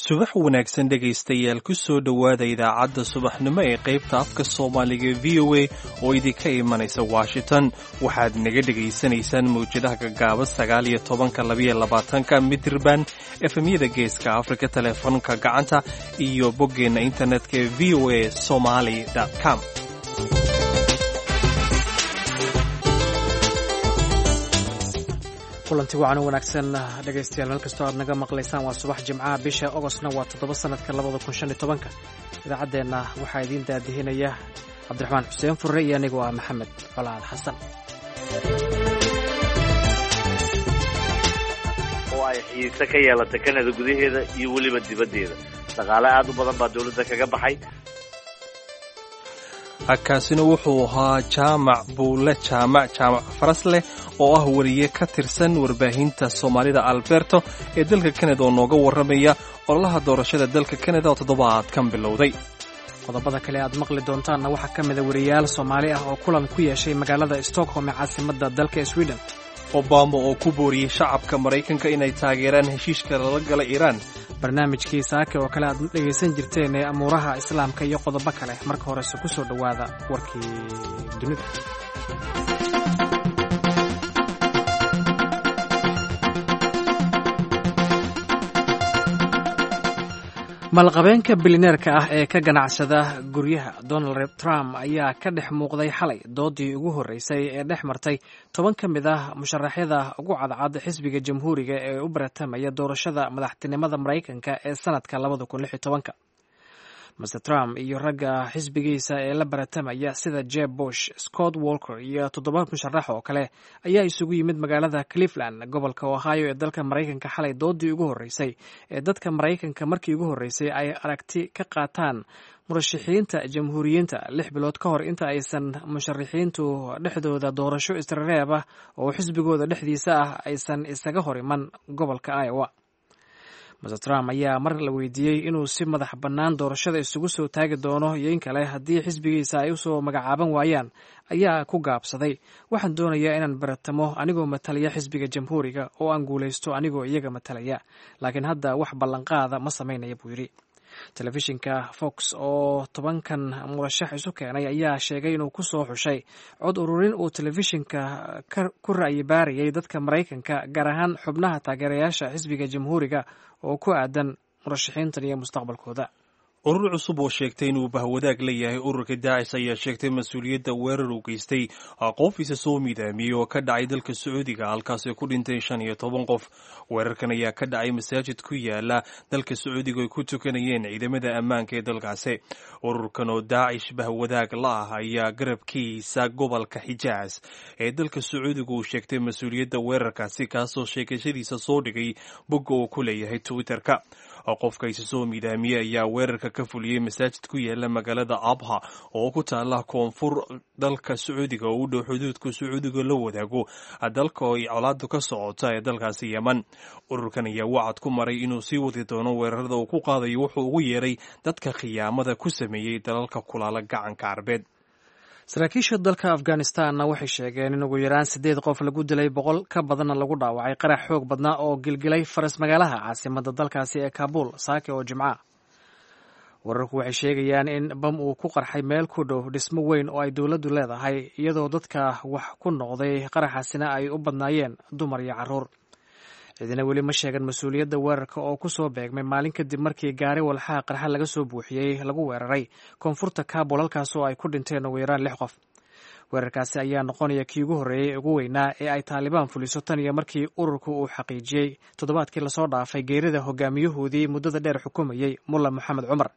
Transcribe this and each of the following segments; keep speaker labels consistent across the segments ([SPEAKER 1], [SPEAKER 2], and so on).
[SPEAKER 1] Subax wanaagsan dhegaystayaal, ku soo dhowaada idaacadda subaxnimo ee qaybta afka Soomaaliga VOA oo idinka imanaysa Washington. Waxaad naga dhegaysanaysaan mawjadaha gagaaban 19-ka, 22-ka mitirban, efemyada Geeska Afrika, teleefoonka gacanta iyo boggeenna internetka ee voasomali.com.
[SPEAKER 2] Kulanti wacan u wanaagsan dhegaystayaal, meel kastoo aad naga maqlaysaan. Waa subax Jimcaha, bisha Ogostna waa 7, sanadka 2015-ka. Idaacaddeenna waxaa idiin daadihinaya Cabdiraxmaan Xuseen Furre iyo anigoo ah Maxamed Colaad Xasan.
[SPEAKER 3] Oo ay xiise ka yeelata Kanada gudaheeda iyo weliba dibaddeeda. Dhaqaale aad u badan baa dowladda kaga baxay.
[SPEAKER 1] Kaasina wuxuu ahaa Jaamac Buule Jaamac, Jaamac Farasleh, oo ah wariye ka tirsan warbaahinta Soomaalida Alberto ee dalka Kanada, oo nooga warramaya ololaha doorashada dalka Kanada oo toddobaadkan bilowday.
[SPEAKER 2] Qodobada kale aad maqli doontaanna waxaa ka mida wariyayaal Soomaali ah oo kulan ku yeeshay magaalada Stockholm ee caasimadda dalka Sweden.
[SPEAKER 1] Obama oo ku booriyey shacabka Maraykanka inay taageeraan heshiiska lala gala Iiraan.
[SPEAKER 2] Barnaamijkii saake oo kale aad dhegaysan jirteen ee amuuraha Islaamka iyo qodobo kale. Marka horese ku soo dhowaada warkii dunida. Maalqabeenka bilineerka ah ee ka ganacsada guryaha Donald Trump ayaa ka dhex muuqday xalay doodii ugu horreysay ee dhex martay 10 ka mid ah musharaxyada ugu cadcad xisbiga Jamhuuriga ee u baratamaya doorashada madaxtinimada Maraykanka ee sanadka 2016-ka. Master Trump iyo ragga xisbigiisa ee la baratamaya sida Jeb Bush, Scott Walker iyo toddoba musharax oo kale ayaa isugu yimid magaalada Cleveland, gobolka Ohio ee dalka Maraykanka, xalay doodii ugu horreysay ee dadka Maraykanka markii ugu horreysay ay aragti ka qaataan murashaxiinta Jamhuuriyiinta, 6 bilood ka hor inta aysan musharaxiintu dhexdooda doorasho israreeb ah oo xisbigooda dhexdiisa ah aysan isaga hor iman gobolka Iowa. Master Trump ayaa mar la weydiiyey inuu si madax bannaan doorashada isugu soo taagi doono iyo in kale haddii xisbigiisa ay usoo magacaaban waayaan ayaa ku gaabsaday: "Waxaan doonayaa inaan baratamo anigoo matalaya xisbiga Jamhuuriga oo aan guulaysto anigoo iyaga matalaya, laakiin hadda wax ballanqaada ma samaynaya," buu yidhi. Telefishinka Fox oo 10-kan murashax isu keenay ayaa sheegay inuu ku soo xushay cod ururin uu telefishinka ku ra'yi baarayay dadka Maraykanka, gaar ahaan xubnaha taageerayaasha xisbiga Jamhuuriga, oo ku aadan murashaxiintan iyo mustaqbalkooda.
[SPEAKER 1] Urur cusub oo sheegtay inuu bahwadaag la yahay ururka Daacish ayaa sheegtay mas-uuliyadda weerar uu geystay qof isa soo midaamiyey oo ka dhacay dalka Sacuudiga, halkaasay ku dhinteen 15 qof. Weerarkan ayaa ka dhacay masaajid ku yaala dalka Sacuudiga ay ku tukanayeen ciidamada ammaanka ee dalkaasi. Ururkan oo Daacish bahwadaag la ah ayaa garabkiisa gobolka Xijaas ee dalka Sacuudiga uu sheegtay mas-uuliyadda weerarkaasi, kaasoo sheegashadiisa soo dhigay bogga uu ku leeyahay Twitterka. Qofka isa soo midaamiyey ayaa weerarka ka fuliyey masaajid ku yaala magaalada Abha oo ku taala koonfur dalka Sacuudiga, oo u dhow xuduudka Sacuudiga la wadaago dalka ay colaadu ka socota ee dalkaasi Yeman. Ururkan ayaa wacad ku maray inuu sii wadi doono weerarada uu ku qaadayo wuxuu ugu yeeray dadka khiyaamada ku sameeyey dalalka kulaala Gacanka Carbeed.
[SPEAKER 2] Saraakiisha dalka Afghanistanna waxay sheegeen in ugu yaraan siddeed qof lagu dilay, 100 ka badanna lagu dhaawacay qarax xoog badnaa oo gilgilay faras magaalaha caasimadda dalkaasi ee Kaabul saake oo Jimca. Wararku waxay sheegayaan in bam uu ku qarxay meel ku dhow dhismo weyn oo ay dowladdu leedahay, iyadoo dadka wax ku noqday qaraxaasina ay u badnaayeen dumar iyo carruur. Ciidina weli ma sheegan mas-uuliyadda weerarka oo ku soo beegmay maalin kadib markii gaari walxaha qarxa laga soo buuxiyey lagu weeraray koonfurta Kaabul, halkaas oo ay ku dhinteen ugu yaraan lix qof. Weerarkaasi ayaa noqonaya kii ugu horreeyey ugu weynaa ee ay Taalibaan fuliso tan iyo markii ururku uu xaqiijiyey toddobaadkii lasoo dhaafay geerida hogaamiyahoodii muddada dheer xukumayey, Mulla Moxamed Cumar.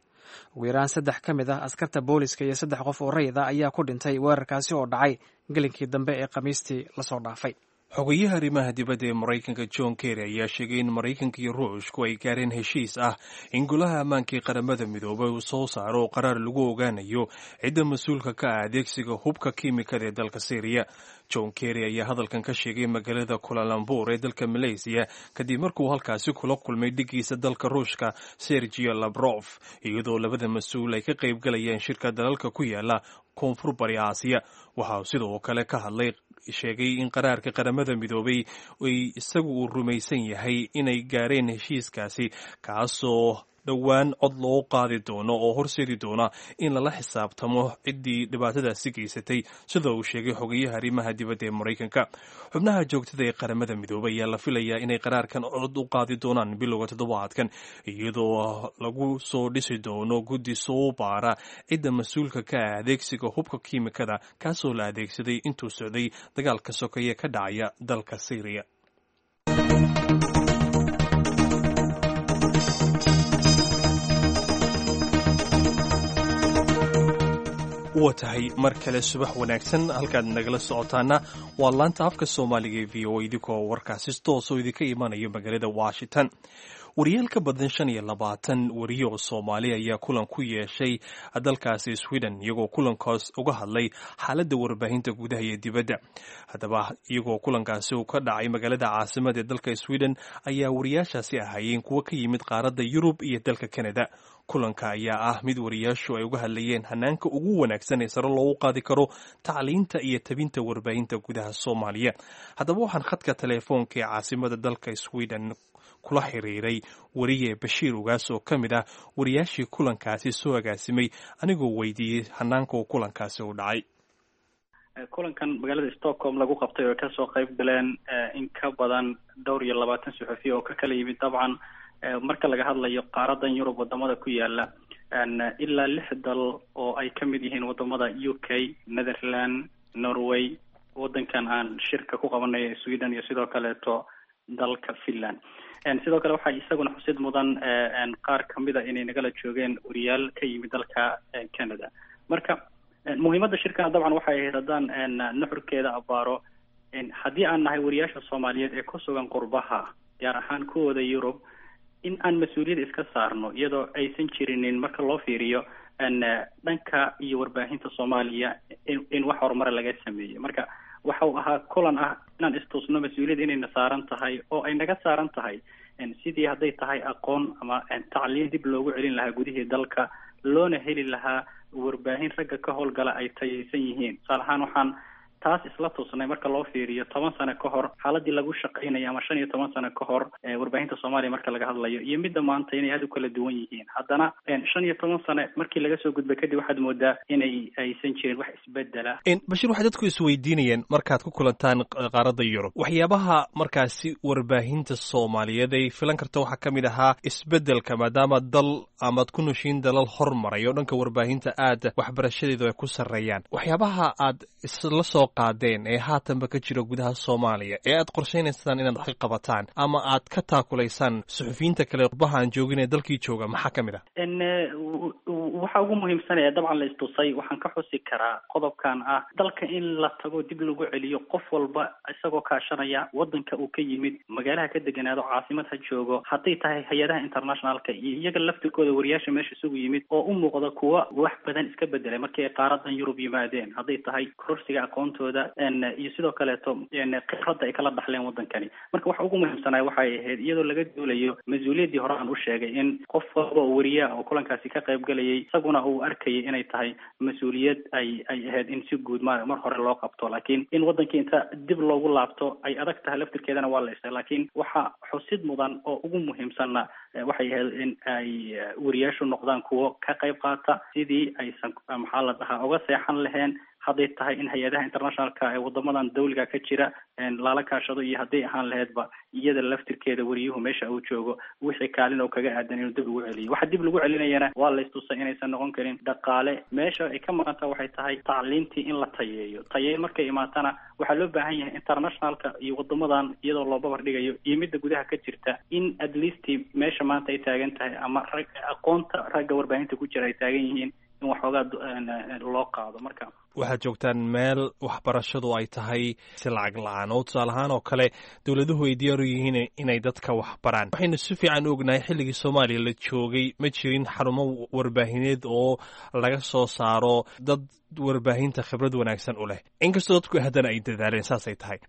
[SPEAKER 2] Ugu yaraan saddex ka mid ah askarta booliska iyo saddex qof oo rayid ah ayaa ku dhintay weerarkaasi oo dhacay gelinkii dambe ee Khamiistii lasoo dhaafay.
[SPEAKER 1] Xogayaha arrimaha dibadda ee Maraykanka John Kerry ayaa sheegay in Maraykanka iyo Ruushku ay gaareen heshiis ah in Golaha Ammaanka ee Qaramada Midoobay uu soo saaro qaraar lagu ogaanayo cidda mas-uulka ka ah adeegsiga hubka kiimikada ee dalka Syriya. John Kerry ayaa hadalkan ka sheegay magaalada Kulalambur ee dalka Malaysiya kadib markuu halkaasi kula kulmay dhigiisa dalka Ruushka Sergio Labrof, iyadoo labada mas-uul ay ka qaybgalayeen shirka dalalka ku yaala Koonfur Bari Aasiya. Waxa uu sidoo kale ka hadlay, sheegay in qaraarka Qaramada Midoobay ay isagu uu rumaysan yahay inay gaareen heshiiskaasi, kaasoo dhowaan cod loo qaadi doono oo horseedi doona in lala xisaabtamo ciddii dhibaatadaasi geysatay, sida uu sheegay xogayaha arrimaha dibadda ee Maraykanka. Xubnaha joogtada ee Qaramada Midoobay ayaa la filayaa inay qaraarkan cod u qaadi doonaan bilowga toddobaadkan, iyadoo lagu soo dhisi doono guddi soo baara cidda mas-uulka ka ah adeegsiga hubka kiimikada, kaasoo la adeegsaday intuu socday dagaalka sokeeye ka dhacaya dalka Syriya. Wa tahay, mar kale subax wanaagsan. Halkaad nagala socotaana waa laanta afka Soomaaliga ee VOA, idinkoo warkaasi toosoo idinka imanayo magaalada Washington. Wariyaal ka badan 25 wariye oo Soomaali ayaa kulan ku yeeshay dalkaasi Sweden, iyagoo kulankaas uga hadlay xaaladda warbaahinta gudaha iyo dibadda. Haddaba, iyagoo kulankaasi uu ka dhacay magaalada caasimada ee dalka Sweden, ayaa wariyaashaasi ahaayeen kuwo ka yimid qaaradda Yurub iyo dalka Canada. Kulanka ayaa ah mid wariyaashu ay uga hadlayeen hanaanka ugu wanaagsan ee sare loogu qaadi karo tacliinta iyo tabinta warbaahinta gudaha Soomaaliya. Haddaba, waxaan khadka teleefoonka ee caasimada dalka Sweden kula xiriiray wariye Bashiir Ugaas oo ka mid ah wariyaashii kulankaasi soo agaasimay, anigoo weydiiyey hanaanka uu kulankaasi u dhacay.
[SPEAKER 4] Kulankan magaalada Stockholm lagu qabtay oo kasoo qayb galeen in ka badan dhowr iyo 20 suxufiya oo ka kala yimid, dabcan marka laga hadlayo qaaradan Yurub wadamada ku yaala, ilaa lix dal oo ay ka mid yihiin wadamada UK, Netherland, Norway, wadankan aan shirka ku qabanayo Sweden iyo sidoo kaleeto dalka Finland. Sidoo kale waxaa isaguna xusid mudan qaar kamida inay nagala joogeen wariyaal ka yimid dalka Canada. Marka muhiimadda shirkana dabcan waxay ahayd, haddaan nuxurkeeda abaaro, haddii aan nahay wariyaasha Soomaaliyeed ee ku sugan qurbaha, gaar ahaan kuwooda Yurub, in aan mas-uuliyad iska saarno, iyadoo aysan jirinin marka loo fiiriyo dhanka iyo warbaahinta Soomaaliya in wax horumara laga sameeyey. Marka waxa uu ahaa kulan ah inaan istusno mas-uuliyad inayna saaran tahay oo ay naga saaran tahay sidii hadday tahay aqoon ama tacliin dib loogu celin lahaa gudihii dalka, loona heli lahaa warbaahin ragga ka howlgala ay tayaysan yihiin. Tusaale ahaan, waxaan taas isla tusnay marka loo fiiriyo 10 sano ka hor xaaladii lagu shaqaynaya ama 15 sano ka hor warbaahinta Soomaaliya marka laga hadlayo iyo midda maanta inay aada u kala duwan yihiin. Haddana 15 sano markii laga soo gudbay kadib, waxaad moodaa inay aysan jirin wax isbedela.
[SPEAKER 1] Bashiir, waxay dadku isweydiinayeen, markaad ku kulantaan qaaradda Yurub, waxyaabaha markaasi warbaahinta Soomaaliyeed ay filan karta waxaa ka mid ahaa isbedelka, maadaama dal amaad ku noshiin dalal hormaray oo dhanka warbaahinta aad waxbarashadeedu ay ku sarreeyaan, waxyaabaha aad isla soo qaadeen ee haatanba ka jira gudaha Soomaaliya ee aad qorshaynaysaan inaad wax ka qabataan ama aad ka taakulaysaan suxufiyiinta kale qurbaha aan joogin ee dalkii jooga, maxaa ka mid ah?
[SPEAKER 4] Waxa ugu muhiimsan ee dabcan la istusay waxaan ka xusi karaa qodobkan ah dalka in la tago, dib lagu celiyo, qof walba isagoo kaashanaya wadanka uu ka yimid, magaalaha ka deganaado, caasimad ha joogo, hadday tahay hay-adaha internationalka iyo iyaga laftirkooda wariyaasha meesha isugu yimid oo u muuqda kuwa wax badan iska bedelay markii ay qaaradan Yurub yimaadeen, hadday tahay kororsiga aqoontooda iyo sidoo kaleeto khibradda ay kala dhaxleen wadankani. Marka waxa ugu muhiimsanaya waxay ahayd, iyadoo laga duulayo mas-uuliyaddii hore aan u sheegay, in qof walba oo wariyaha oo kulankaasi ka qayb galayay isaguna uu arkayay inay tahay mas-uuliyad ay ahayd in si guud mar hore loo qabto, laakiin in wadankii inta dib loogu laabto ay adag tahay laftirkeedana waa la isay. Laakiin waxa xusid mudan oo ugu muhiimsanna waxay ahayd in ay wariyaashu noqdaan kuwo ka qayb qaata sidii aysan, maxaa la dhahaa, uga seexan laheen, hadday tahay in hay-adaha internationalka ee wadamadan dawliga ka jira lala kaashado iyo hadday ahaan laheydba iyada laftirkeeda wariyuhu meesha uu joogo wixii kaalin oo kaga aadan inuu dib ugu celiyo. Waxa dib lagu celinayana waa la istusay inaysan noqon karin dhaqaale. Meesha ay ka maqanta waxay tahay tacliintii in la tayeeyo. Tayeyn markay imaatana waxaa loo baahan yahay internationalka iyo wadamadan iyadoo loo babar dhigayo iyo midda gudaha ka jirta in at least meesha maanta ay taagan tahay ama rag aqoonta ragga warbaahinta ku jira ay taagan yihiin in waxoogaa loo qaado. Marka
[SPEAKER 1] waxaad joogtaan meel waxbarashadu ay tahay si lacag la-aan oo tusaale ahaan oo kale dowladuhu ay diyaar u yihiin inay dadka waxbaraan. Waxaynu si fiican u ognahay xilligii Soomaaliya la joogay ma jirin xarumo warbaahineed oo laga soo saaro dad warbaahinta khibrad wanaagsan u leh, inkastoo dadku haddana ay dadaaleen. Saasay tahay,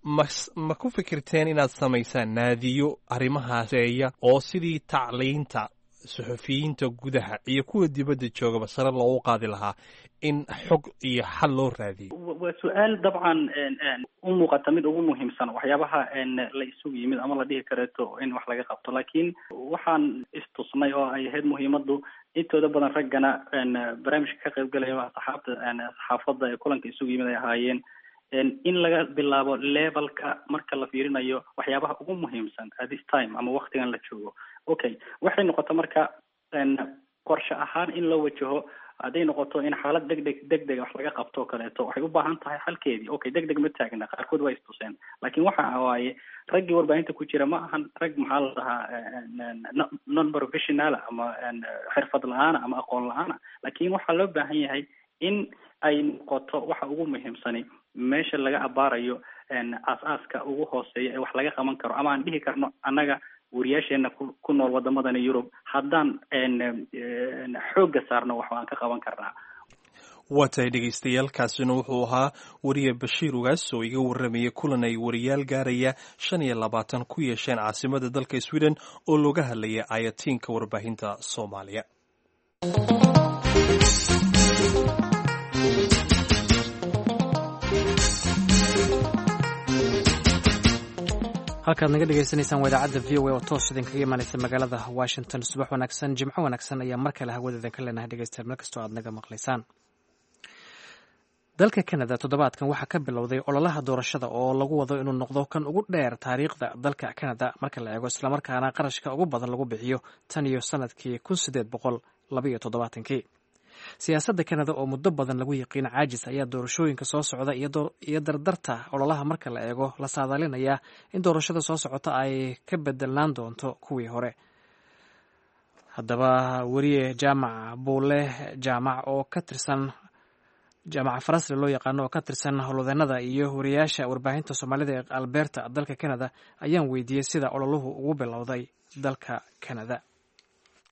[SPEAKER 1] ma ku fikirteen inaad samaysaan naadiyo arrimahaas eeya oo sidii tacliinta suxufiyiinta gudaha iyo kuwa dibadda joogaba sare loogu qaadi lahaa in xog iyo xal loo raadiyo?
[SPEAKER 4] Waa su-aal dabcan U muuqata mid ugu muhiimsan waxyaabaha la isugu yimid ama la dhihi kareeto in wax laga qabto, laakiin waxaan istusnay oo ay ahayd muhiimadu intooda badan raggana barnaamijka ka qaybgalaya saxaabta saxaafadda ee kulanka isugu yimid ay ahaayeen in laga bilaabo levelka marka la fiirinayo waxyaabaha ugu muhiimsan at this time ama waktigan la joogo. Okay, waxay noqota marka qorshe ahaan in loo wajaho, hadday noqoto in xaalad degdeg degdega wax laga qabto o kaleeto, waxay u baahan tahay xalkeedii. Okay, degdeg ma taagna, qaarkood waa istuseen, laakiin waxa waaye raggii warbaahinta ku jira ma ahan rag, maxaa la dhahaa, non professional ama xirfad la-aana ama aqoon la-aana, laakiin waxaa loo baahan yahay in ay noqoto waxa ugu muhiimsani meesha laga abaarayo aas-aaska ugu hooseeya ee wax laga qaban karo, ama aan dhihi karno annaga wariyaasheena ku nool wadamadani Yurub haddaan xoogga saarno wax aan ka qaban karnaa.
[SPEAKER 1] Waa tahay dhegaystayaal, kaasina wuxuu ahaa wariye Bashiir Ugaas oo iga warramayay kulan ay wariyaal gaaraya 25 ku yeesheen caasimada dalka Sweden oo looga hadlayay ayatiinka warbaahinta Soomaaliya.
[SPEAKER 2] Halkaad naga dhegaysanaysaan waa idaacadda VOA oo toos idinkaga imaanaysa magaalada Washington. Subax wanaagsan, Jimco wanaagsan ayaa mar kale hawada idinka leenahay, dhegeystayaal, meel kastoo aad naga maqlaysaan. Dalka Canada toddobaadkan waxaa ka bilowday ololaha doorashada oo lagu wado inuu noqdo kan ugu dheer taariikhda dalka Canada marka la eego, islamarkaana qarashka ugu badan lagu bixiyo tan iyo sanadkii 1872-kii. Siyaasadda Canada oo muddo badan lagu yiqiin caajis ayaa doorashooyinka soo socda iyo dardarta ololaha marka la eego la saadaalinayaa in doorashada soo socota ay ka bedelnaan doonto kuwii hore. Haddaba weriye Jaamac Buule Jaamac oo ka tirsan, Jaamaca Farasle loo yaqaano, oo ka tirsan howlwadeenada iyo wariyaasha warbaahinta Soomaalida ee Alberta dalka Canada, ayaan weydiiyey sida ololuhu ugu bilowday dalka Canada.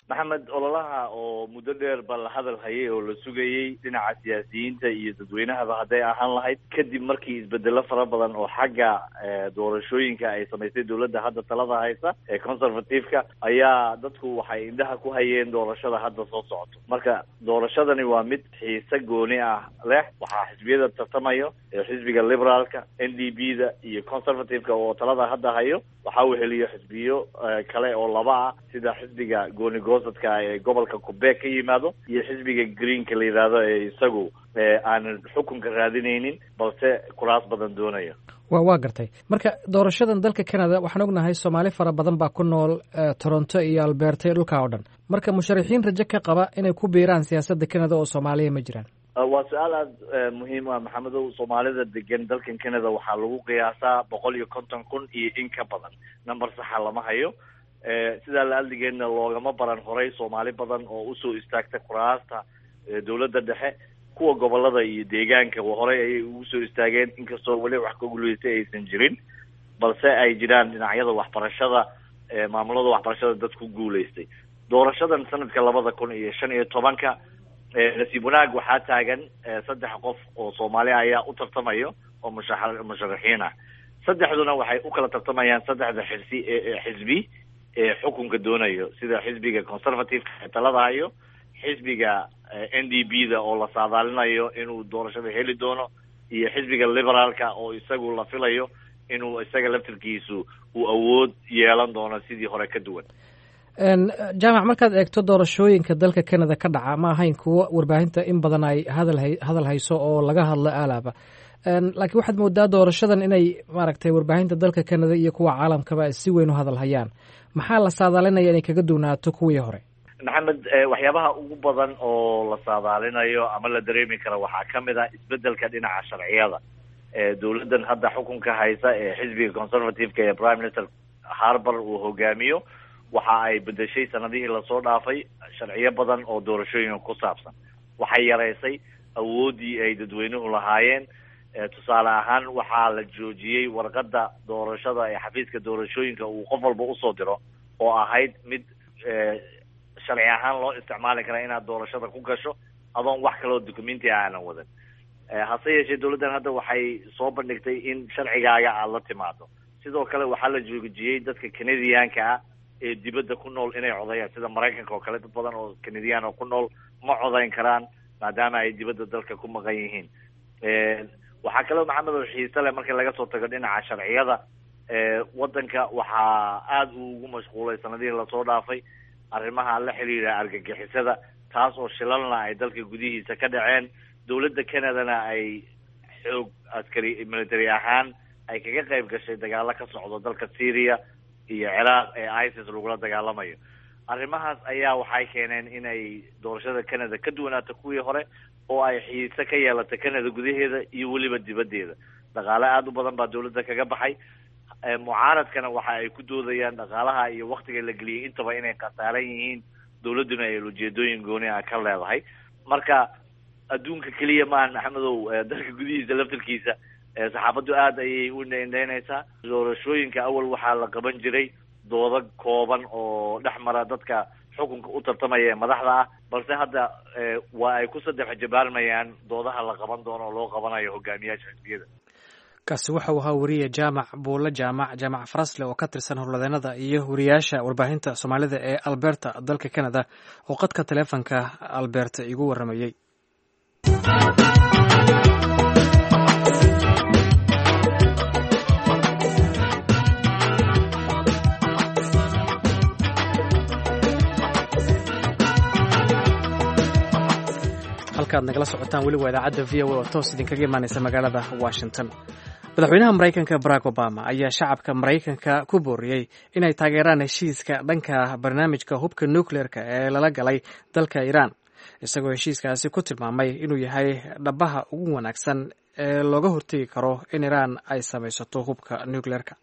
[SPEAKER 3] Maxamed, ololaha oo muddo dheer ba la hadal hayay oo la sugayey dhinaca siyaasiyiinta iyo dadweynahaba hadday ahaan lahayd, kadib markii isbedelo fara badan oo xagga doorashooyinka ay samaysay dowladda hadda talada haysa ee Conservative-ka, ayaa dadku waxay indhaha ku hayeen doorashada hadda soo socoto. Marka doorashadani waa mid xiise gooni ah leh. Waxaa xisbiyada tartamayo xisbiga Liberaalka, NDP da iyo Conservative-ka oo talada hadda hayo. Waxaa weheliyo xisbiyo kale oo laba ah, sida xisbiga gooni goosadka ee gobolka Quebec ka yimaado iyo xisbiga Greenka la yidhaahdo ee isagu aanan xukunka raadinaynin balse kuraas badan doonayo.
[SPEAKER 2] Waa gartay. Marka doorashadan dalka Canada, waxaan ognahay Soomaali fara badan baa ku nool Toronto iyo Alberta iyo dhulkaa oo dhan. Marka musharaxiin rajo ka qaba inay ku biiraan siyaasadda Canada oo Soomaaliya ma jiraan?
[SPEAKER 3] Waa su-aal aada muhiim ah, Maxamedow. Soomaalida degan dalkan Canada waxaa lagu qiyaasaa 150,000 iyo in ka badan, number saxa lama hayo. Sidaa la adligeedna loogama baran horay Soomaali badan oo usoo istaagta kuraasta dowladda dhexe. Kuwa gobolada iyo deegaanka horey ayay ugu soo istaageen, inkastoo weli wax ka guulaystay aysan jirin, balse ay jiraan dhinacyada waxbarashada, maamulada waxbarashada dad ku guulaystay. Doorashadan sanadka 2015-ka, nasiib wanaag waxaa taagan saddex qof oo Soomaali ayaa u tartamayo oo musharaxiin ah. Saddexduna waxay u kala tartamayaan saddexda xirsi xisbi ee xukunka doonayo, sida xisbiga Conservative-ka ee talada hayo, xisbiga NDP da oo la saadaalinayo inuu doorashada heli doono, iyo xisbiga Liberaalka oo isagu la filayo inuu isaga laftirkiisu uu awood yeelan doono sidii hore ka duwan.
[SPEAKER 2] Jaamac, markaad eegto doorashooyinka dalka Canada ka dhaca, ma ahayn kuwo warbaahinta in badan ay hadal hayso oo laga hadlo aalaaba, laakiin waxaad moodaa doorashadan inay maaragtay warbaahinta dalka Canada iyo kuwa caalamkaba ay si weyn u hadal hayaan. Maxaa la saadaalinaya inay kaga duwnaato kuwii hore?
[SPEAKER 3] Maxamed, waxyaabaha ugu badan oo la saadaalinayo ama la dareemi karo waxaa ka mid ah isbedelka dhinaca sharciyada. Dowladdan hadda xukunka haysa ee xisbiga Conservative-ka ee Prime Minister Harper uu hogaamiyo waxa ay bedeshay sanadihii lasoo dhaafay sharciyo badan oo doorashooyinka ku saabsan. Waxay yaraysay awooddii ay dadweynuhu lahaayeen. Tusaale ahaan, waxaa la joojiyey warqadda doorashada ee xafiiska doorashooyinka uu qof walba usoo diro oo ahayd mid sharci ahaan loo isticmaali karaa inaad doorashada ku gasho adoon wax kaloo documenti aanan wadan. Hase yeeshee dowladdan hadda waxay soo bandhigtay in sharcigaaga aada la timaado. Sidoo kale waxaa la joojiyey dadka Canadianka ah ee dibadda ku nool inay codayaan, sida Maraykanka oo kale. Dad badan oo Canadian oo ku nool ma codayn karaan maadaama ay dibadda dalka ku maqan yihiin. Waxaa kaloo, Maxamed, oo xiise leh, marka laga soo tago dhinaca sharciyada, waddanka waxaa aada uu ugu mashquulay sanadihii lasoo dhaafay arrimaha la xiriira argagixisada, taas oo shilalna ay dalka gudihiisa ka dhaceen, dowladda Canadana ay xoog askari military ahaan ay kaga qayb gashay dagaalo ka socdo dalka Syria iyo Ciraaq ee ISIS lagula dagaalamayo. Arrimahaas ayaa waxay keeneen inay doorashada Canada ka duwanaato kuwii hore oo ay xiise ka yeelato Canada gudaheeda iyo weliba dibaddeeda. Dhaqaale aada u badan baa dowladda kaga baxay. Mucaaradkana waxa ay ku doodayaan dhaqaalaha iyo waktiga la geliyay intaba inay khasaaran yihiin, dowladduna ay ujeedooyin gooni ah ka leedahay. Marka adduunka keliya maahan, Maxamedow, dalka gudihiisa laftirkiisa saxaafaddu aada ayay u indhaindhaynaysaa doorashooyinka. Awal waxaa la qaban jiray doodo kooban oo dhex mara dadka xukunka u tartamaya ee madaxda ah, balse hadda waa ay ku saddex jabaarmayaan doodaha la qaban doono oo loo qabanayo hogaamiyaasha xisbiyada.
[SPEAKER 2] Kaasi waxa uu ahaa weriye Jaamac Buulle Jaamac, Jaamac Farasle, oo ka tirsan howlwadeenada iyo wariyaasha warbaahinta Soomaalida ee Alberta, dalka Canada, oo qadka taleefanka Alberta igu waramayey. Halkaad nagala socotaan weli waa idaacadda VOA oo toos idinkaga imaaneysa magaalada Washington. Madaxweynaha Maraykanka Barack Obama ayaa shacabka Maraykanka ku booriyey inay taageeraan heshiiska dhanka barnaamijka hubka nucleerka ee lala galay dalka Iiraan, isagoo heshiiskaasi ku tilmaamay inuu yahay dhabaha ugu wanaagsan ee looga hortegi karo in Iiraan ay samaysato hubka nucleerka.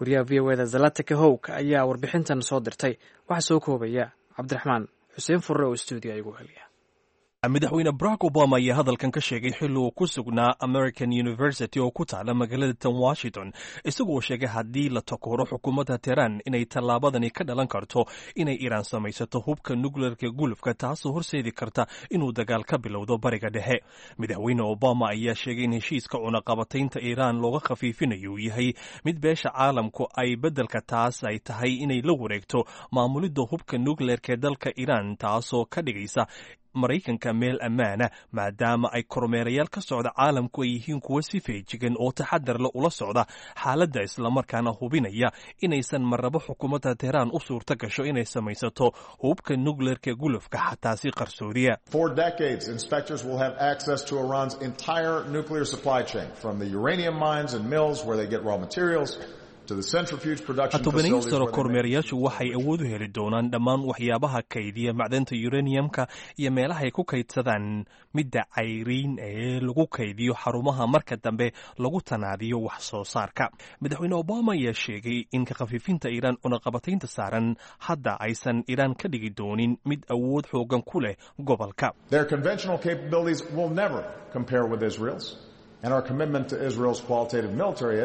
[SPEAKER 2] Wariyaha VOA da Zlatica Hoke ayaa warbixintan soo dirtay. Waxaa soo koobaya Cabdiraxmaan Xuseen Furre oo stuudiya igu heliya.
[SPEAKER 1] Madaxweyne Barack Obama ayaa hadalkan ka sheegay xilli uu ku sugnaa American University oo ku taala magaalada tan Washington, isagoo sheegay haddii la takooro xukuumadda Tehran inay tallaabadani ka dhalan karto inay Iiraan samaysato hubka nukleerka gulufka, taasoo horseedi karta inuu dagaal ka bilowdo Bariga Dhexe. Madaxweyne Obama ayaa sheegay in heshiiska cunaqabataynta Iiraan looga khafiifinayo uu yahay mid beesha caalamku ay beddelka taas ay tahay inay la wareegto maamulidda hubka nukleerka ee dalka Iiraan, taasoo ka dhigaysa Maraykanka meel ammaana, maadaama ay kormeerayaal ka socda caalamku ay yihiin kuwa si feejigan oo taxadar le ula socda xaaladda, islamarkaana hubinaya inaysan marnabo xukuumadda Tehraan u suurta gasho inay samaysato hubka nukleerka gulufka, xataa si qarsoodiya.
[SPEAKER 5] For decades, inspectors will have access to Iran's entire nuclear supply chain, from the uranium mines and mills where they get raw materials,
[SPEAKER 1] 10 sano kormeerayaashu waxay awood u heli doonaan dhammaan waxyaabaha kaydiya macdanta uraniumka iyo meelaha ay ku kaydsadaan midda cayriin ee lagu kaydiyo xarumaha marka dambe lagu tanaadiyo wax soo saarka. Madaxweyne Obama ayaa sheegay in ka khafiifinta Iiraan cunaqabataynta saaran hadda aysan Iiraan ka dhigi doonin mid awood xoogan ku leh gobolka.
[SPEAKER 5] Their conventional capabilities will never compare with Israel's.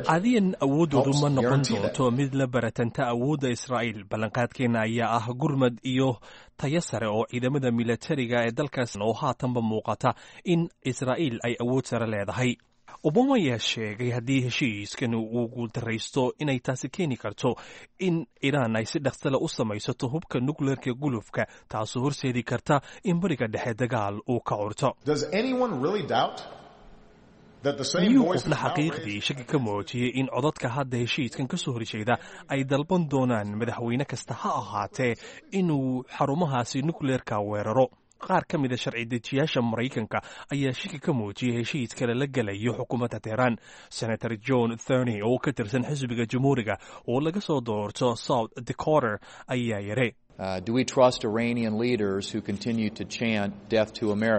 [SPEAKER 1] Caadiyan awooddoodu ma noqon doonto mid la baratanta awoodda Israa'iil. Ballanqaadkeena ayaa ah gurmad iyo tayo sare oo ciidamada milatariga ee dalkaas, oo haatanba muuqata in Israa'iil ay awood sare leedahay. Obama ayaa sheegay haddii heshiiskan uu guuldaraysto inay taasi keeni karto in Iiraan ay si dhaqsale u samaysato hubka nukleerka gulufka, taasoo horseedi karta in Bariga Dhexe dagaal uu ka curto. Miyuu qofna xaqiiqdii shaki ka muujiyey in codadka hadda heshiiskan ka soo horjeeda ay dalban doonaan madaxweyne kasta ha ahaatee inuu xarumahaasi nukleerka weeraro? Qaar ka mida sharci dejiyaasha Maraykanka ayaa shaki ka muujiyey heshiiska lala gelayo xukuumadda Tehraan. Senator John Thorney oo ka tirsan xisbiga Jamhuuriga oo laga soo doorto South Dakota ayaa yare: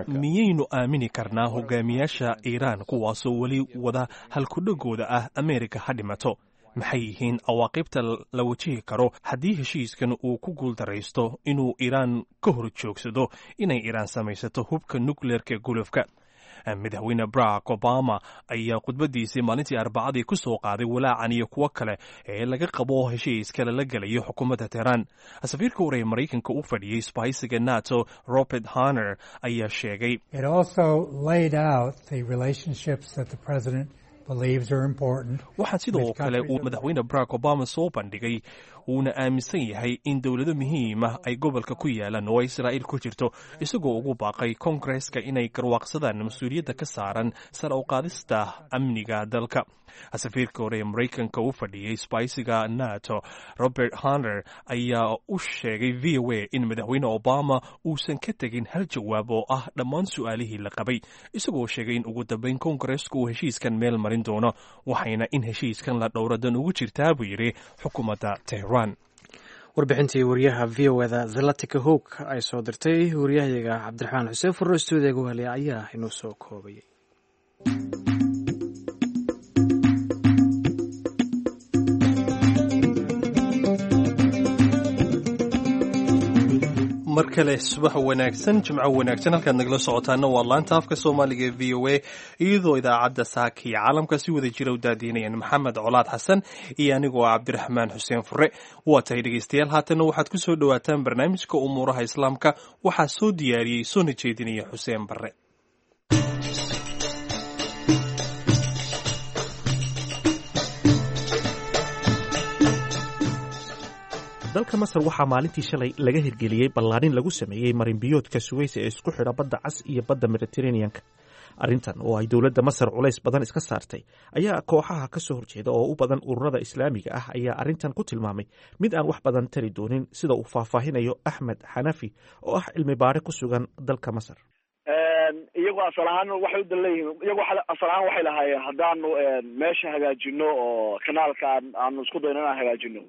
[SPEAKER 1] Miyaynu aamini karnaa hogaamiyaasha Iiraan kuwaasoo weli wada halkudhagooda ah "Ameerika ha dhimato"? Maxay yihiin cawaaqibta la wajihi karo haddii heshiiskan uu ku guuldaraysto inuu Iiraan ka hor joogsado inay Iiraan samaysato hubka nukleerka gulufka? Madaxweyne Barack Obama ayaa khudbadiisii maalintii Arbacadii ku soo qaaday walaacan iyo kuwo kale ee laga qabo heshiiska lala gelayo xukuumadda Tehraan. Safiirka hore ee Maraykanka u fadhiyey isbahaysiga NATO, Robert Hanner, ayaa sheegay:
[SPEAKER 6] believes are important.
[SPEAKER 1] Waxaa sidoo kale uu Madaxweyne Barack Obama soo bandhigay uuna aaminsan yahay in dowlado muhiim ah ay gobolka ku yaalaan oo Israa'iil ku jirto, isagoo ugu baaqay Koongreska inay garwaaqsadaan mas-uuliyadda ka saaran sare u qaadista amniga dalka. Safiirka hore ee Maraykanka u fadhiyey sbaysiga NATO, Robert Hunter, ayaa u sheegay VOA in Madaxweyne Obama uusan ka tegin hal jawaab oo ah dhammaan su'aalihii la qabay, isagoo sheegay in ugu dambeyn Koongareesku uu heshiiskan meel marin doono, waxayna in heshiiskan la dhowro dan ugu jirtaa, buu yidhi, xukuumadda Tehran.
[SPEAKER 2] Warbixintii wariyaha VOA-da Zlatica Hoke ay soo dirtay, wariyahayaga Cabdiraxmaan Xuseen Furro stuudiyaga u helaya ayaa inoo soo koobayay.
[SPEAKER 1] Mar kale subax wanaagsan, Jimco wanaagsan. Halkaad nagala socotaana waa laanta afka Soomaaliga ee VOA, iyadoo idaacadda saaka iyo caalamka si wada jira u daadiinayaan Maxamed Colaad Xasan iyo anigoo Cabdiraxmaan Xuseen Fure. Waa tahay dhegeystayaal, haatanna waxaad ku soo dhowaataan barnaamijka umuuraha Islaamka. Waxaa soo diyaariyey soona jeedinaya Xuseen Barre.
[SPEAKER 7] Dalka Masar waxaa maalintii shalay laga hirgeliyey ballaarin lagu sameeyey marinbiyoodka Suweys ee isku xidha Badda Cas iyo Badda Mediteraneanka. Arrintan oo ay dowladda Masar culays badan iska saartay ayaa kooxaha ka soo horjeeda oo u badan ururada Islaamiga ah ayaa arrintan ku tilmaamay mid aan wax badan tari doonin, sida uu faahfaahinayo Axmed Xanafi oo ah cilmi baare ku sugan dalka Masar.
[SPEAKER 8] Iyagu asal ahaan waxay u danleeyihiin, iyagu asal ahaan waxay lahaayeen haddaanu meesha hagaajino oo kanaalka aanu isku dayno inaan hagaajino,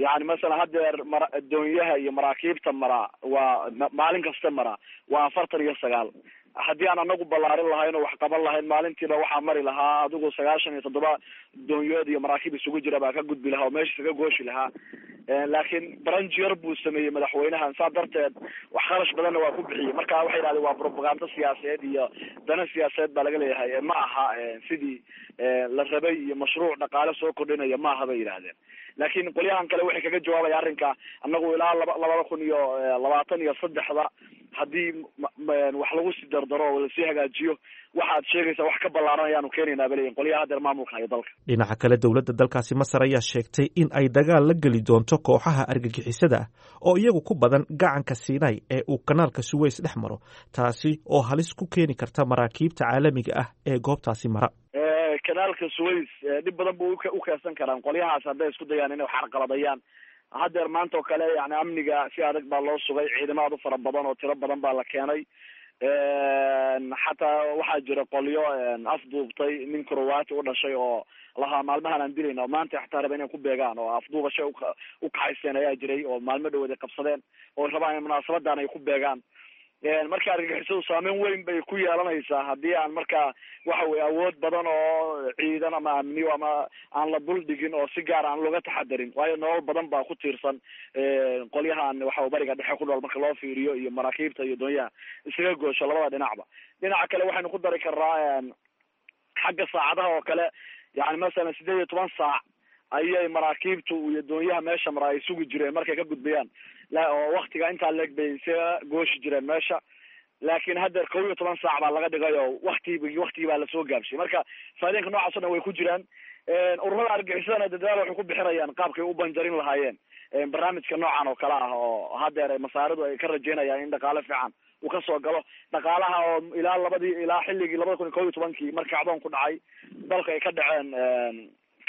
[SPEAKER 8] yani masalan haddeer mara doonyaha iyo maraakiibta mara waa maalin kasta mara waa 49. Haddii aan anagu ballaarin lahayn oo wax qaban lahayn, maalintiiba waxaa mari lahaa adigu 97 doonyood iyo maraakiib isugu jira baa ka gudbi lahaa oo meesha isaga gooshi lahaa. Laakiin branjier buu sameeyey madaxweynahan, saa darteed wax kharash badanna waa ku bixiyey. Marka waxay yidhahdeen waa propaganda siyaasadeed iyo dana siyaasadeed baa laga leeyahay, ma aha sidii la rabay iyo mashruuc dhaqaale soo kordhinaya ma aha, bay yidhahdeen. Laakiin qolyahan kale waxay kaga jawaabaya arrinka, annagu ilaa 2023-da haddii wax lagu sii dardaro oo lasii hagaajiyo, waxaad sheegaysaa wax ka ballaaran ayaanu keenaynaa, bay leeyihin qolyaha hadeer maamulka hayo dalka.
[SPEAKER 7] Dhinaca kale, dowladda dalkaasi Masar ayaa sheegtay in ay dagaal la geli doonto kooxaha argagixisada ah oo iyagu ku badan gacanka Siinai ee uu kanaalka Suweys dhex maro, taasi oo halis ku keeni karta maraakiibta caalamiga ah ee goobtaasi mara.
[SPEAKER 8] Kanaalka Suways dhib badan buu u keensan karaan qolyahaas hadday isku dayaan inay wax carqaladayaan. Haddeer maanta oo kale yani amniga si adag baa loo sugay, ciidamo aad u fara badan oo tiro badan baa la keenay. Xataa waxaa jira qolyo afduubtay nin Croati u dhashay oo lahaa maalmahan aan dilayna, oo maanta xataa raba inay ku beegaan oo afduubashay u kaxaysteen ayaa jiray, oo maalmo dhawood ay qabsadeen oo rabaan in munaasabadan ay ku beegaan. Marka argagixisadu saameyn weyn bay ku yeelanaysaa haddii aan marka waxa weye awood badan oo ciidan ama amniyo ama aan la dul dhigin oo si gaar aan looga taxadarin, waayo nolol badan baa ku tiirsan qolyahan waxa Bariga Dhexe ku nool marka loo fiiriyo iyo maraakiibta iyo doonyaha isaga goosho labada dhinacba. Dhinaca kale waxaynu ku dari karnaa xagga saacadaha oo kale, yani masalan 18 saac ayay maraakiibtu iyo doonyaha meesha mara ay sugi jireen markay ka gudbayaan, oo waktiga intaa leeg bay isaga gooshi jireen meesha. Laakiin haddeer 11 saac baa laga dhigay oo waktigii baa lasoo gaabshay. Marka faa'iidooyinka noocaas o dhan way ku jiraan. Ururada argagixisadana dadaal waxay ku bixinayaan qaabkay u banjarin lahaayeen barnaamijka noocan oo kale ah, oo haddeer masaaridu ay ka rajeynayaan in dhaqaale fiican uu kasoo galo, dhaqaalaha oo ilaa labadii ilaa xilligii 2011-kii markii kacdoonku dhacay dalka ay ka dhaceen,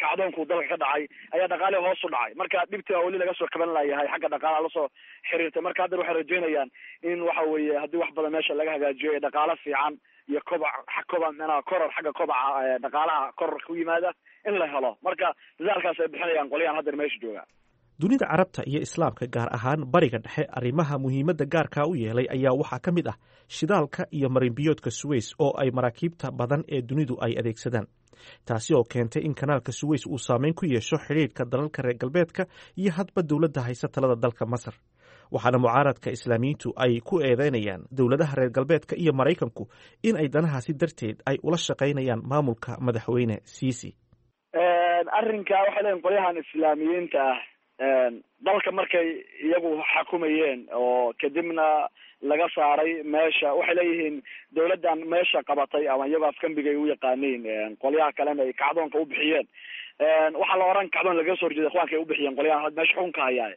[SPEAKER 8] kacdoonku dalka ka dhacay ayaa dhaqaalihi hoos u dhacay. Marka dhibta weli laga soo kaban layahay xagga dhaqaalaha lasoo xiriirtay. Marka haddeer waxay rajeynayaan in waxa weeye haddii wax badan meesha laga hagaajiyo ee dhaqaalo fiican iyo kobac koba manaha koror xagga kobaca dhaqaalaha koror ku yimaada in la helo. Marka dadaalkaas ay bixinayaan qolyahan haddeer meesha jooga.
[SPEAKER 7] Dunida Carabta iyo Islaamka, gaar ahaan Bariga Dhexe, arrimaha muhiimadda gaarkaa u yeelay ayaa waxaa ka mid ah shidaalka iyo marinbiyoodka Suweys oo ay maraakiibta badan ee dunidu ay adeegsadaan, taasi oo keentay in kanaalka Suweys uu saameyn ku yeesho xidhiidhka dalalka reer galbeedka iyo hadba dowladda haysa talada dalka Masar. Waxaana mucaaradka Islaamiyiintu ay ku eedeynayaan dowladaha reer galbeedka iyo Maraykanku in ay danahaasi darteed ay ula shaqaynayaan maamulka Madaxweyne Siisi.
[SPEAKER 8] Arrinka waxay leeyihin qolyahan Islaamiyiinta ah Dalka markay iyagu xakumayeen oo kadibna laga saaray meesha, waxay leeyihiin dawladdan meesha qabatay ama iyagoo afkambigay u yaqaaniin, qolyaha kalena ay kacdoonka u bixiyeen. Waxaa la oran kacdoon lagaga soo horjeeda ikhwaanka ay u bixiyeen qolyaha meesha xukunka hayaa.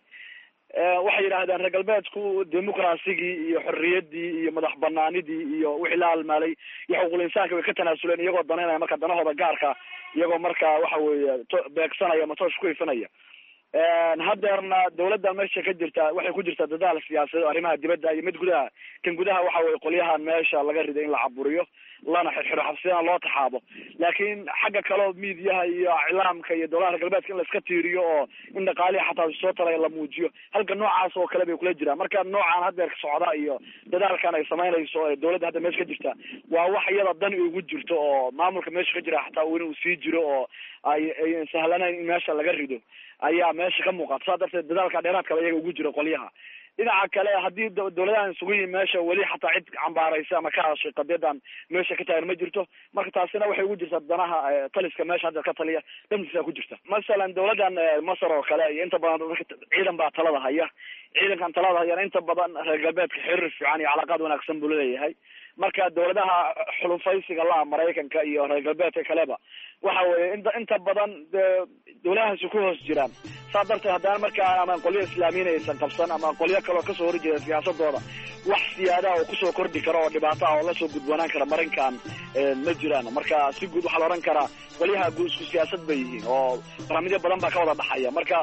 [SPEAKER 8] Waxay yidhaahdeen reer galbeedku dimuqraasigii iyo xorriyaddii iyo madax banaanidii iyo wixii la halmaalay iyo xuquuqul insaanka way ka tanaasuleen, iyagoo danaynaya marka danahooda gaarka, iyagoo marka waxa weeye beegsanaya ama toosh ku ifinaya. Haddeerna dawladda meesha ka jirta waxay ku jirtaa dadaal siyaasadeed oo arrimaha dibadda iyo mid gudaha. Kan gudaha waxa weye qolyahan meesha laga riday in la caburiyo lana xirxiro, xabsiyana loo taxaabo. Laakiin xagga kaleo miidiyaha iyo iclaamka iyo dowlaha reer galbeedka in la iska tiiriyo oo in dhaqaalihi xataa soo taraya la muujiyo, halka noocaas oo kale bay kula jiraan. Marka noocan haddeer socda iyo dadaalkan ay samaynayso ee dawladda hadda meesha ka jirta waa wax iyada dan ugu jirto oo maamulka meesha ka jira xataa inuu sii jiro oo ay sahlanayn in meesha laga rido ayaa meesha ka muuqata. Saa darteed dadaalka dheeraadkaba iyaga ugu jiro qolyaha. Dhinaca kale, haddii dawladahan isugu yihin meesha, weli xataa cid cambaaraysa ama ka hadashay qadiyadan meesha ka taagan ma jirto. Marka taasina waxay ugu jirtaa danaha taliska meesha hadda ka taliya dhantiisa ku jirta. Masalan dawladdan Masar oo kale iyo inta badan dadka ciidan baa talada haya. Ciidankan talada hayana inta badan reer galbeedka xiriir fiican iyo calaaqaad wanaagsan buu leeyahay. Marka dawladaha xulufaysiga la Maraykanka iyo reer galbeedka kaleba waxa weeye inta badan dawladahaasi ku hoos jiraan. Saa darteed haddana markaa ama qolyo islaamiyiin aysan qabsan ama qolyo kaloo kasoo horjeeda siyaasadooda, wax siyaadaha oo kusoo kordhi kara oo dhibaato ah oo lasoo gudboonaan kara marinkan ma jiraan. Marka si guud waxaa la odhan karaa qolyaha guud isku siyaasad bay yihiin oo barnaamijyo badan baa ka wada dhaxaya. Marka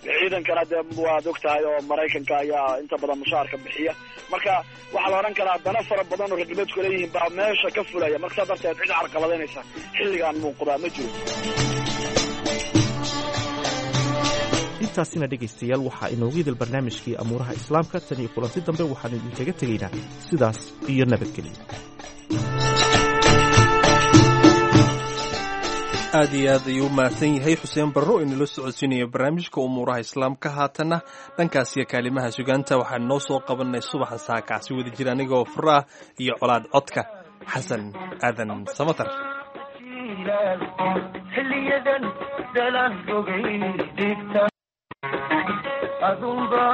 [SPEAKER 8] ciidankana dee waad og tahay oo Maraykanka ayaa inta badan mushaarka bixiya. Marka waxaa la odhan karaa dana fara badan oo reer galbeedku leeyihiin baa meesha ka fulaya. Marka saa darteed cid carqaladeynaysa xilligan muuqdaa ma jiro.
[SPEAKER 7] Intaasina dhegaystayaal, waxaa inoogu idil barnaamijkii amuuraha islaamka. Tan iyo kulanti dambe, waxaanu idinkaga tegaynaa sidaas iyo nabadgelyo.
[SPEAKER 1] Aad iyo aad ayuu u mahadsan yahay Xuseen Barro inala socodsiinaya barnaamijka umuuraha islaamka. Haatanna dhankaasiyo kaalimaha sugaanta waxaan noo soo qabanay subaxa saakaasi wada jira anigoo furaah iyo Colaad, codka Xasan Aadan Samatar.
[SPEAKER 6] Xiliyadan dalan rogay dhigta adunba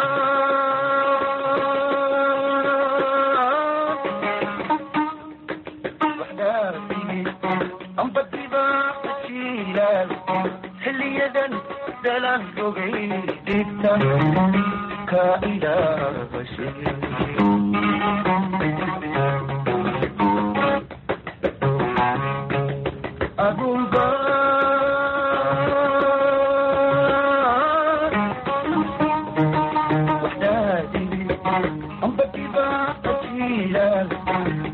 [SPEAKER 6] xiliyadan dalan rogay dhigta ka ilaabashay. Adunba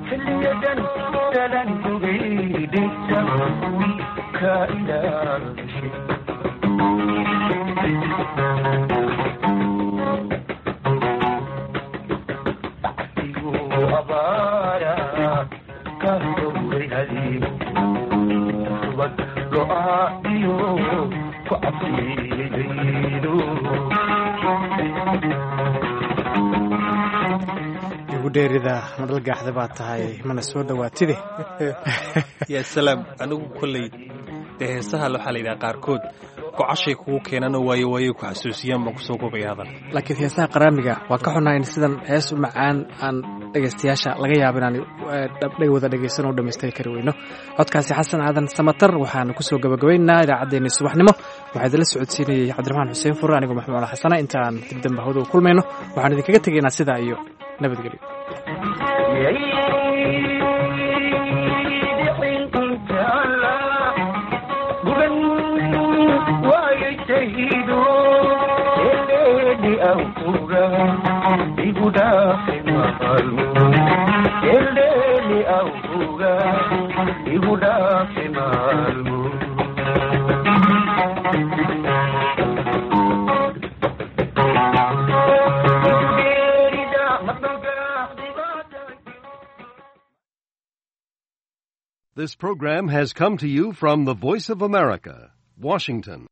[SPEAKER 6] xiliyadan dalan rogay dhigta ka ilaabashay. Abaara ka dowray hadiib subag go-aa iyo ku cabsiyeydo.
[SPEAKER 2] Igu dheerida madhalgaaxda baa tahay, mana soo dhowaatide.
[SPEAKER 1] Yaa salaam! Anigu kolley dee heesaha waxaa la yidhaha qaarkood gocashay kugu keenano waayo waayo ku xasuusiyaan baan kusoo gobaya hadal.
[SPEAKER 2] Laakiin heesaha qaraamiga waa ka xunahay in sidan hees u macaan aan dhegaystayaasha laga yaabo inaan wada dhegaysan oo dhammaystiri kari weyno. Codkaasi Xasan Aadan Samatar waxaanu kusoo gabagabaynaa idaacaddeenii subaxnimo. Waxaa idinla socodsiinayay Cabdiraxmaan Xuseen Fure, anigoo Maxmuud Xasana. Inta aan dib dambe hawada u kulmayno, waxaan idinkaga tegaynaa sidaa iyo nabadgelyo.
[SPEAKER 6] Igu dhaafi maalmo.
[SPEAKER 9] This program has come to you from the Voice of America, Washington.